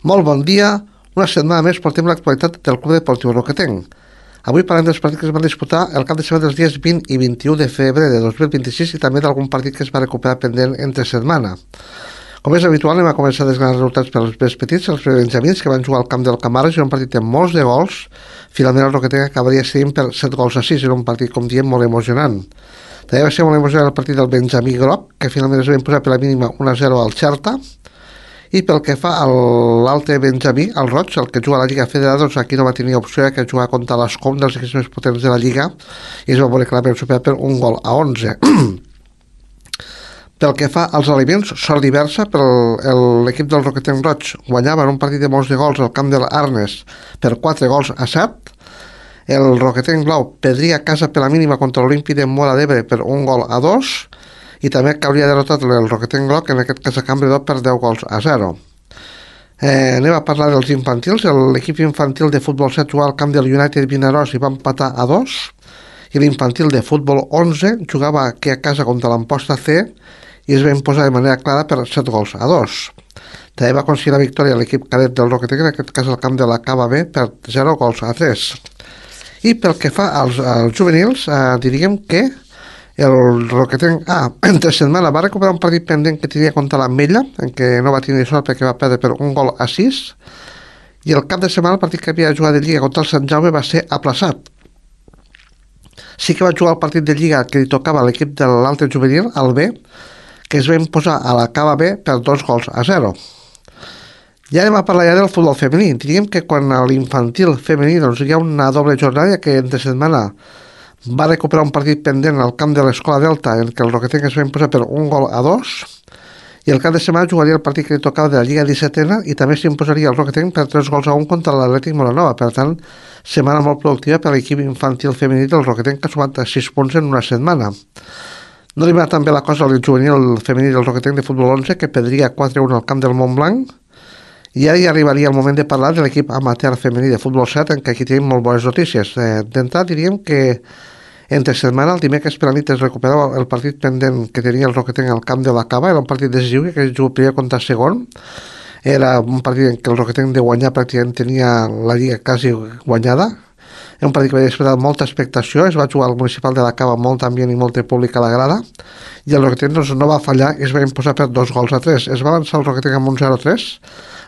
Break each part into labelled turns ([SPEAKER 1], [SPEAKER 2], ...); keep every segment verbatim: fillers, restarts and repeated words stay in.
[SPEAKER 1] Molt bon dia, una setmana més portem l'actualitat del Club Deportiu Roquetenc. Avui parlem dels partits que es van disputar el cap de setmana dels dies vint i vint-i-u de febrer de dos mil vint-i-sis i també d'algun partit que es va recuperar pendent entre setmana. Com és habitual, anem a començar a desgranar resultats per als més petits, els benjamins que van jugar al camp del Camares, en un partit amb molts de gols. Finalment el Roquetenc acabaria seguint per set gols a sis, en un partit, com diem, molt emocionant. També va ser molt emocionant el partit del Benjamí Groc, que finalment es va imposar per la mínima un a zero al Xerta. I pel que fa a l'altre Benjamí, el Roig, el que juga a la Lliga Federada, doncs aquí no va tenir opció que jugar contra l'Escom dels equips més potents de la Lliga i es va veure clarament superat per un gol a onze. Pel que fa als aliments, sort diversa per l'equip del Roquetenc Roig. Guanyava en un partit de molts de gols al camp de l'Arnes per quatre gols a set. El Roquetenc Blau perdria a casa per la mínima contra l'Olímpic de Móra d'Ebre per un gol a dos. I també que hauria derrotat el Roquetenc Groc, en aquest cas a Campredó, per deu gols a zero. Eh, anem a parlar dels infantils. L'equip infantil de futbol set jugava al camp del United Vinaròs i va empatar a dos, i l'infantil de futbol onze jugava aquí a casa contra l'Amposta C i es va imposar de manera clara per set gols a dos. També va aconseguir la victòria l'equip cadet del Roquetenc, en aquest cas al camp de la Cava B, per zero gols a tres. I pel que fa als, als juvenils, eh, diríem que el Roquetenc A, entre setmana, va recuperar un partit pendent que tenia contra l'Ametlla, en què no va tenir sort perquè va perdre per un gol a sis, i el cap de setmana el partit que havia jugat de Lliga contra el Sant Jaume va ser aplaçat. Sí que va jugar el partit de Lliga que li tocava a l'equip de l'altre juvenil, el B, que es va imposar a la Cava B per dos gols a zero. Ja anem a parlar ja del futbol femení. Diríem que quan a l'infantil femení doncs, hi ha una doble jornada que entre setmana va recuperar un partit pendent al camp de l'Escola Delta en què el Roquetenc es va imposar per un gol a dos, i el cap de setmana jugaria el partit que li tocava de la Lliga dissetena i també s'imposaria el Roquetenc per tres gols a un contra l'Atlètic Moranova. Per tant, setmana molt productiva per l'equip infantil femení del Roquetenc, que ha sumat sis punts en una setmana. No li va tan bé la cosa al juvenil femení del Roquetenc de futbol onze, que perdria quatre a un al camp del Montblanc. I ara ja arribaria el moment de parlar de l'equip amateur femení de futbol set, en què aquí tenim molt bones notícies. Eh, D'entrada diríem que entre setmana, el dimecres per la nit es recuperava el partit pendent que tenia el Roquetenc al camp de la Cava. Era un partit decisiu que es jugava primer contra segon. Era un partit en què el Roquetenc de guanyar pràcticament tenia la lliga quasi guanyada. Era un partit que va despertar molta expectació. Es va jugar al municipal de la Cava, molt ambient i molta pública a la grada, i el Roquetenc doncs, no va fallar i es va imposar per dos gols a tres. Es va avançar el Roquetenc amb un zero a tres,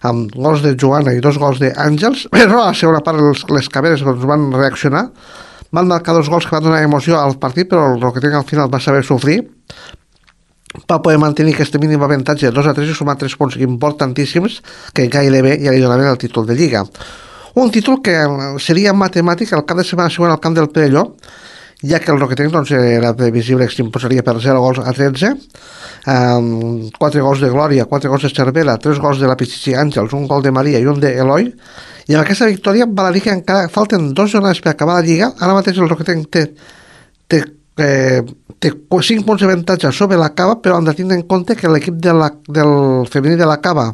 [SPEAKER 1] amb gols de Joana i dos gols d'Àngels, però a la segona part les, les caberes doncs, van reaccionar, van marcar dos gols que van donar emoció al partit, però el Roquetenc al final va saber sofrir, va poder mantenir aquest mínim avantatge de dos a tres i sumar tres punts importantíssims que gairebé ja li donaven el títol de Lliga. Un títol que seria matemàtic el cap de setmana següent al camp del Perelló, ja que el Roquetenc doncs, era previsible que s'imposaria per zero gols a tretze, um, quatre gols de Glòria, quatre gols de Cervera, tres gols de la Pichichi Àngels, un gol de Maria i un d'Eloi, i amb aquesta victòria val a dir que encara falten dos jornades per acabar la Lliga. Ara mateix el Roquetenc té, té, eh, té cinc punts d'avantatge sobre la Cava, però han de tenir en compte que l'equip de la, del femení de la Cava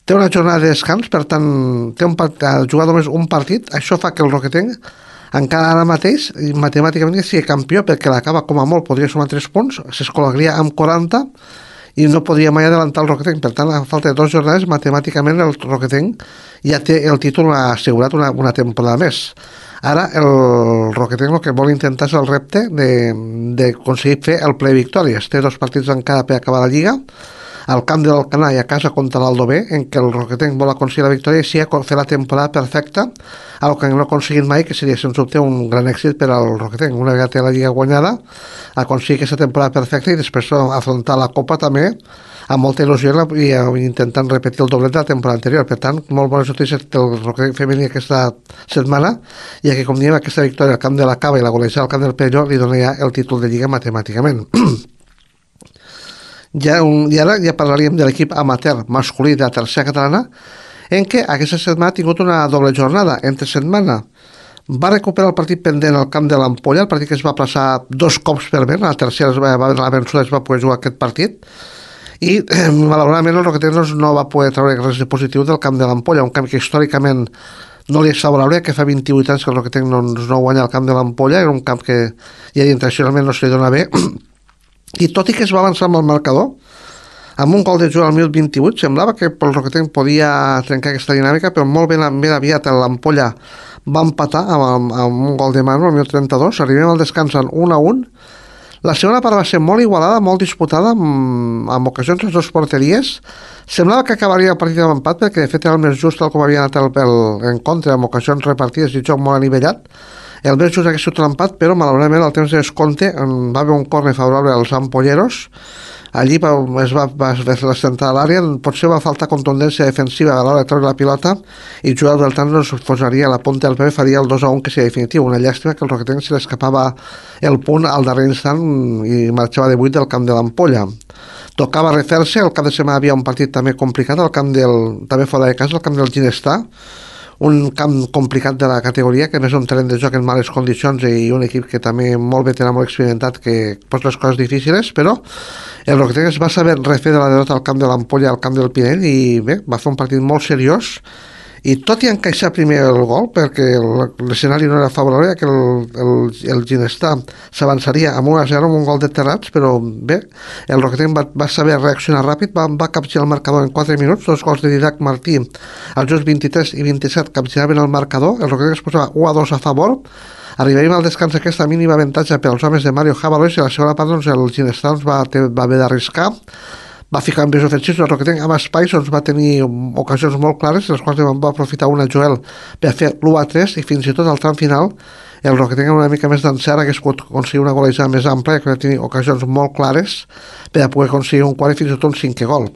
[SPEAKER 1] té una jornada de descans, per tant té un part, ha jugat només un partit. Això fa que el Roquetenc encara ara mateix matemàticament sigui campió, perquè la Cava com a molt podria sumar tres punts, s'escolaria amb quaranta i no podria mai adelantar el Roquetenc. Per tant, a falta de dues jornades, matemàticament el Roquetenc ja té el títol assegurat una, una temporada més. Ara el Roquetenc el que vol intentar és el repte d'aconseguir fer el ple victòries. Té dos partits encara per acabar la Lliga, al camp de l'Alcanar i a casa contra l'Aldo B, en què el Roquetenc vol aconseguir la victòria i sí fer la temporada perfecta, el que no ha aconseguit mai, que seria sens dubte un gran èxit per al Roquetenc. Una vegada té la Lliga guanyada, aconseguir aquesta temporada perfecta i després afrontar la Copa també amb molta il·lusió i intentant repetir el doblet de la temporada anterior. Per tant, molt bones notícies del Roquetenc femení aquesta setmana, ja que, com diem, aquesta victòria al camp de la Cava i la golejada al camp del Perelló li dona ja el títol de Lliga matemàticament. Ja, un, I ara ja parlaríem de l'equip amateur masculí de la tercera catalana, en què aquesta setmana ha tingut una doble jornada. Entre setmana va recuperar el partit pendent al camp de l'Ampolla, el partit que es va plaçar dos cops per vent, a la tercera es va, va, la vençuda es va poder jugar aquest partit, i eh, malauradament el Roquetenc no va poder treure res de positiu del camp de l'Ampolla, un camp que històricament no li és favorable, que fa vint-i-vuit anys que el Roquetenc no, no guanya el camp de l'Ampolla, era un camp que ja intencionalment no se li dona bé. I tot i que es va avançar amb el marcador, amb un gol de Joel al minut vint-i-vuit. Semblava que el Roquetenc podia trencar aquesta dinàmica, però molt ben, ben aviat l'Ampolla va empatar amb, amb un gol de Manu al minut trenta-dos. Arribem al descans en un a un. La segona part va ser molt igualada, molt disputada, amb, amb ocasions a les dues porteries. Semblava que acabaria el partit amb empat, perquè de fet era el més just el com havia anat el, el encontre, amb ocasions repartides i joc molt anivellat. El més just hagués sigut l'empat, però malauradament al temps de descompte va haver un corner favorable als ampolleros. Allí va, es va, va, va fer la central a l'àrea, potser va faltar contundència defensiva a l'hora de treure la pilota i Joel Beltrán nos posaria a la punta del peu i faria el dos a un, que seria definitiu. Una llàstima que el Roquetenc se l'escapava el punt al darrer instant i marxava de vuit del camp de l'Ampolla. Tocava refer-se, el cap de setmana havia un partit també complicat, el camp del, també fora de casa, el camp del Ginestà, un camp complicat de la categoria, que més un terreny de joc en males condicions i un equip que també molt veterà, molt experimentat, que posa les coses difícils, però el Roquetenc es va saber refer de la derrota al camp de l'Ampolla, al camp del Pinell, i bé, va fer un partit molt seriós, i tot i encaixar primer el gol, perquè l'escenari no era favorable, que el, el, el Ginestà s'avançaria amb un a zero amb un gol de Terrats, però bé, el Roquetenc va, va saber reaccionar ràpid, va, va capgirar el marcador en quatre minuts, dos gols de Didac Martí als jocs vint-i-tres i vint-i-set capgiraven el marcador, el Roquetenc es posava u a dos a favor. Arribaríem al descans aquesta mínima avantatge pels homes de Mario Jabalois, i a la segona part doncs, el Ginestà doncs, va, va haver d'arriscar, va ficar en vies ofensius, el Roquetenc amb espais doncs, va tenir ocasions molt clares, les quals va aprofitar una Joel per fer l'u a tres, i fins i tot al tram final el Roquetenc amb una mica més d'encert hagués pogut aconseguir una golejada més ampla, que va tenir ocasions molt clares per a poder aconseguir un quart i fins i tot un cinquè gol.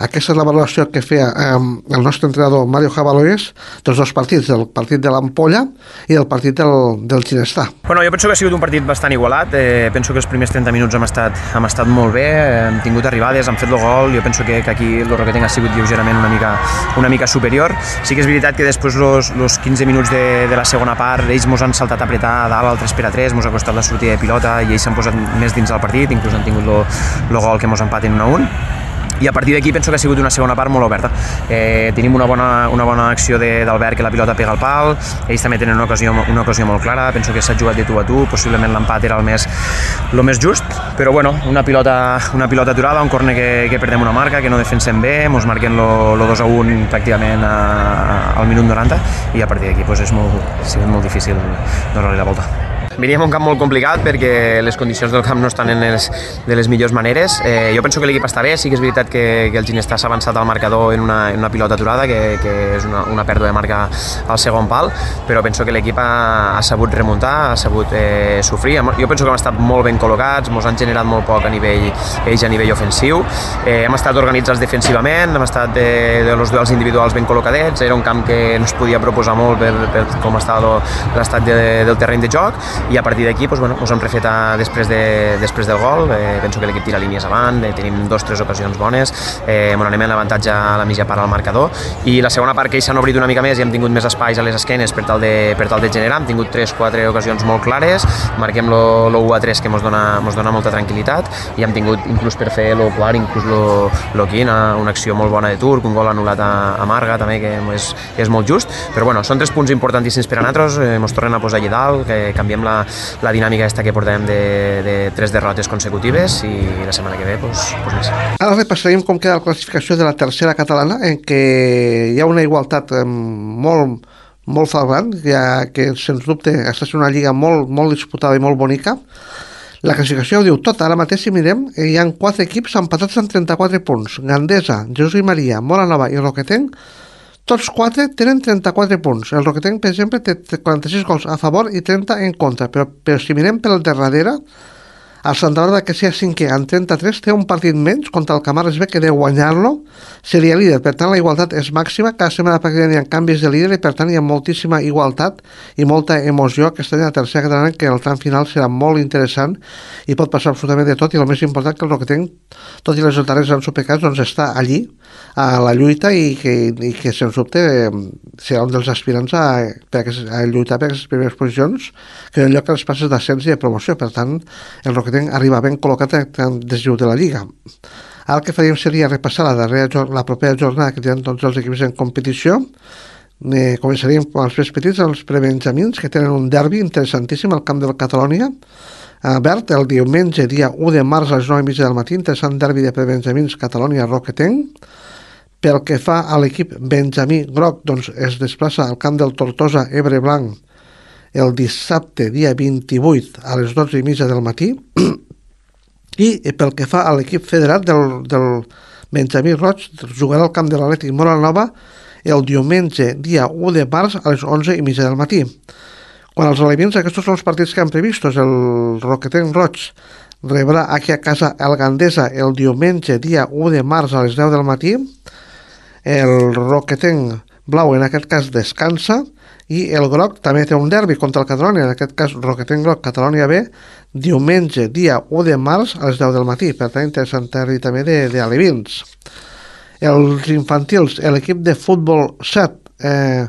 [SPEAKER 1] Aquesta és la valoració que feia eh, el nostre entrenador Mario Jabalois dels dos partits, del partit de l'Ampolla i del partit del, del Ginestà.
[SPEAKER 2] Bueno, jo penso que ha sigut un partit bastant igualat, eh, penso que els primers trenta minuts hem estat, hem estat molt bé, hem tingut arribades, hem fet el gol, jo penso que, que aquí el Roquetenc ha sigut lleugerament una mica, una mica superior. Sí que és veritat que després els quinze minuts de, de la segona part ells mos han saltat a apretar a dalt al tres per a tres, mos ha costat la sortida de pilota i ells s'han posat més dins del partit, inclús han tingut el gol que mos empaten un a un. I a partir d'aquí penso que ha sigut una segona part molt oberta. Eh, tenim una bona, una bona acció d'Albert, que la pilota pega al pal, ells també tenen una ocasió, una ocasió molt clara, penso que s'ha jugat de tu a tu, possiblement l'empat era el més, el més just, però bueno, una pilota, una pilota aturada, un corner que, que perdem una marca, que no defensem bé, mos marquen el dos a un pràcticament a, al minut noranta, i a partir d'aquí pues, és molt, ha sigut molt difícil donar-li la volta. Veníem un camp molt complicat perquè les condicions del camp no estan en les, de les millors maneres. Eh, jo penso que l'equip està bé, sí que és veritat que, que el Ginestà s'ha avançat al marcador en una, en una pilota aturada, que, que és una, una pèrdua de marca al segon pal, però penso que l'equip ha, ha sabut remuntar, ha sabut eh, sofrir. Jo penso que hem estat molt ben col·locats, ens han generat molt poc a nivell, ells a nivell ofensiu, eh, hem estat organitzats defensivament, hem estat de, de los duels individuals ben col·locadets, era un camp que no es podia proposar molt per, per com estava l'estat de, del terreny de joc, i a partir d'aquí doncs, bueno, ens hem refet a, després, de, després del gol, eh, penso que l'equip tira línies avant, eh, tenim dos o tres ocasions bones, eh, on anem en l'avantatge a la mitja part al marcador, i la segona part que ells s'han obrit una mica més i hem tingut més espais a les esquenes per tal de, per tal de generar, hem tingut tres o quatre ocasions molt clares, marquem l'u a tres que ens dona, mos dona molta tranquil·litat, i hem tingut inclús per fer el quart, inclús lo quin, una acció molt bona de Turc, un gol anul·lat a, a Marga també, que és, és molt just, però bueno, són tres punts importantíssims per a nosaltres, eh, ens tornen a posar allà dalt, que canviem la la dinàmica aquesta que portem de, de tres derrotes consecutives, i la setmana que ve pues, pues més.
[SPEAKER 1] Ara repassarem com queda la classificació de la tercera catalana, en què hi ha una igualtat eh, molt, molt flagrant, ja que sens dubte està sent una lliga molt, molt disputada i molt bonica. La classificació ho diu tot. Ara mateix, si mirem, hi ha quatre equips empatats amb trenta-quatre punts. Gandesa, Jesús i Maria, Móra Nova i Roquetenc, tots quatre tenen trenta-quatre punts. El Roquetenc, per exemple, té quaranta-sis gols a favor i trenta en contra, però, però si mirem pel darrere, el Santa Bàrbara, que sigui cinquè amb trenta-tres, té un partit menys contra el Camarles B, que deu guanyar-lo, seria líder. Per tant, la igualtat és màxima, cada setmana pràcticament hi ha canvis de líder i per tant hi ha moltíssima igualtat i molta emoció aquest any a la tercera catalana, que el tram final serà molt interessant i pot passar absolutament de tot, i el més important que el Roquetenc, tot i les darreres han supercats, doncs està allí a la lluita, i que, i que sens dubte eh, serà un dels aspirants a, per a, a lluitar per aquestes primeres posicions, que en lloc a les passes d'ascens i de promoció. Per tant, el Roquetenc arriba ben col·locat des de la Lliga. Ara el que faríem seria repassar la, darrera, la propera jornada que tenen tots els equips en competició. Eh, començaríem amb els més petits, els prebenjamins, que tenen un derbi interessantíssim al camp del Catalònia. a Bert, el diumenge, dia u de març a les nou i mitja del matí, interessant derbi de prebenjamins Catalònia-Roquetenc. Pel que fa a l'equip benjamí groc, doncs es desplaça al camp del Tortosa Ebre Blanc el dissabte, dia vint-i-vuit, a les dotze i mitja del matí. I pel que fa a l'equip federat del, del benjamí roig, jugarà al camp de l'Atlètic Moranova el diumenge, dia u de març, a les onze i mitja del matí. Quan els elements, aquests són els partits que han previstos. El Roquetenc roig rebrà aquí a casa el Gandesa el diumenge, dia u de març, a les deu del matí. El Roquetenc blau, en aquest cas, descansa, i el groc també té un derbi contra el Catalonia, en aquest cas Roquetenc groc, Catalonia B, diumenge, dia u de març, a les deu del matí. Per tant, interessant derbi també d'alevins. Els infantils, l'equip de futbol set, eh,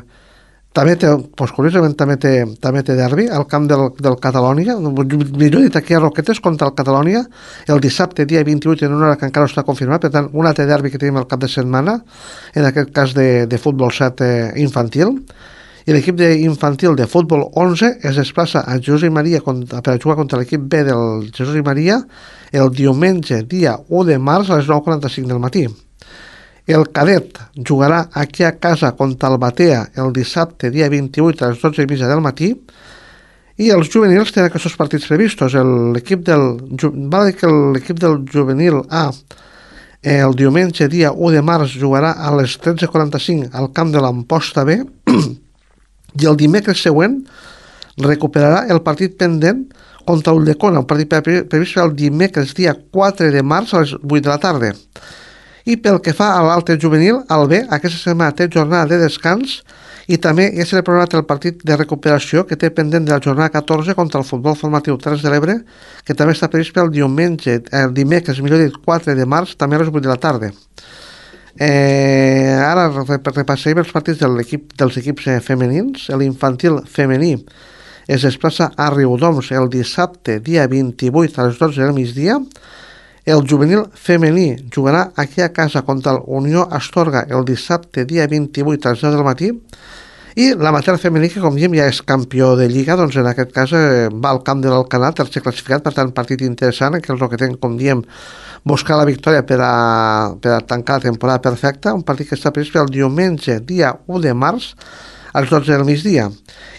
[SPEAKER 1] també té, doncs, curiosament també té, també té derbi al camp del, del Catalonia, millor dit aquí a Roquetes contra el Catalonia, el dissabte, dia vint-i-vuit, en una hora que encara no està confirmat. Per tant, un altre derbi que tenim al cap de setmana, en aquest cas de, de futbol set eh, infantil. I l'equip d'infantil de futbol onze es desplaça a Jesús i Maria contra, per a jugar contra l'equip B del Jesús i Maria el diumenge, dia u de març, a les nou i quaranta-cinc del matí. El cadet jugarà aquí a casa contra el Batea el dissabte, dia vint-i-vuit, a les dotze i mitja del matí. I els juvenils tenen aquests partits previstos. L'equip del, va dir que l'equip del juvenil A el diumenge, dia u de març, jugarà a les tretze i quaranta-cinc al camp de l'Amposta B, i el dimecres següent recuperarà el partit pendent contra Ulldecona, un partit previst el dimecres, dia quatre de març, a les vuit de la tarda. I pel que fa a l'altre juvenil, el B, aquesta setmana té jornada de descans i també ja s'ha programat el partit de recuperació que té pendent de la jornada catorze contra el futbol formatiu Terres de l'Ebre, que també està previst pel diumenge, el dimecres, millor dit, quatre de març, també a les vuit de la tarda. Eh, ara repassarem els partits de l'equip, dels equips femenins. L'infantil femení es desplaça a Riudoms el dissabte, dia vint-i-vuit, a les dotze del migdia. El juvenil femení jugarà aquí a casa contra el Unió Astorga el dissabte, dia vint-i-vuit, a les deu del matí. I l'amateur femení, que com diem ja és campió de Lliga, doncs en aquest cas eh, va al camp de l'Alcanar, tercer classificat, per tant partit interessant, en què el Roquetenc, com diem, buscar la victòria per a, per a tancar la temporada perfecta, un partit que està previst el diumenge, dia u de març, a les dotze del migdia.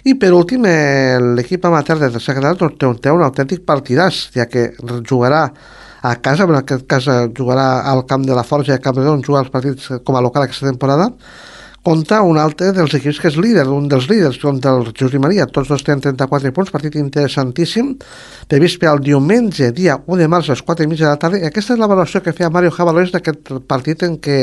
[SPEAKER 1] I per últim, eh, l'equip amateur de tercer canal doncs, té, un, té un autèntic partidàs, ja que jugarà a casa, en aquest cas jugarà al camp de la Forja de Camprodon, jugar els partits com a local aquesta temporada, contra un altre dels equips que és líder, un dels líders, contra el Jesús i Maria. Tots dos tenen trenta-quatre punts, partit interessantíssim, previst per al diumenge, dia u de març, a les quatre i mitja de la tarda. I aquesta és la valoració que feia Mario Jabalés d'aquest partit en què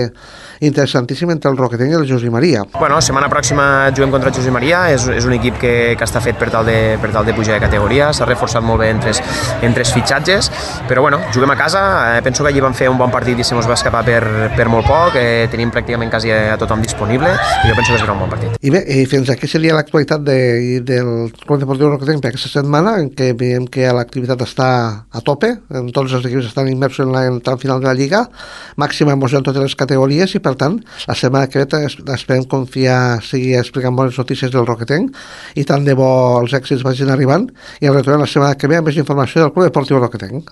[SPEAKER 1] interessantíssim entre el Roquetenc i el Jesús i Maria.
[SPEAKER 2] Bueno, setmana pròxima juguem contra el Jesús i Maria, és, és un equip que, que està fet per tal de, per tal de pujar de categoria, s'ha reforçat molt bé en tres, en tres fitxatges, però bueno, juguem a casa, eh, penso que allí vam fer un bon partit i se mos va escapar per, per molt poc, eh, tenim pràcticament quasi a tothom disponible, i jo penso que serà un bon partit.
[SPEAKER 1] I bé, i fins aquí seria l'actualitat de, del Club Deportiu Roquetenc per aquesta setmana, en què veiem que l'activitat està a tope, en tots els equips estan immersos en, la, en el tram final de la Lliga, màxima emoció en totes les categories, i per tant, la setmana que ve esperem confiar, seguir explicant bones notícies del Roquetenc, i tant de bo els èxits vagin arribant, i retornem la setmana que ve amb més informació del Club Deportiu Roquetenc.